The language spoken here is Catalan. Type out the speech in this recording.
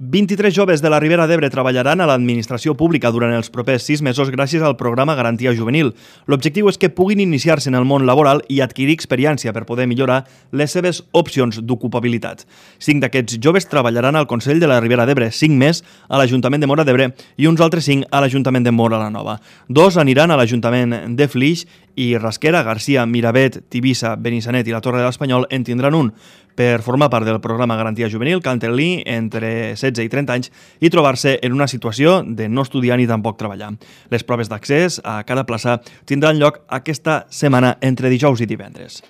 23 joves de la Ribera d'Ebre treballaran a l'administració pública durant els propers 6 mesos gràcies al programa Garantia Juvenil. L'objectiu és que puguin iniciar-se en el món laboral i adquirir experiència per poder millorar les seves opcions d'ocupabilitat. 5 d'aquests joves treballaran al Consell de la Ribera d'Ebre, 5 més a l'Ajuntament de Móra d'Ebre i uns altres 5 a l'Ajuntament de Móra la Nova. 2 aniran a l'Ajuntament de Flix i Rasquera, Garcia, Miravet, Tivissa, Benissanet i la Torre de l'Espanyol en tindran un. Per formar part del programa Garantia Juvenil cal tenir entre 16 i 30 anys i trobar-se en una situació de no estudiar ni tampoc treballar. Les proves d'accés a cada plaça tindran lloc aquesta setmana entre dijous i divendres.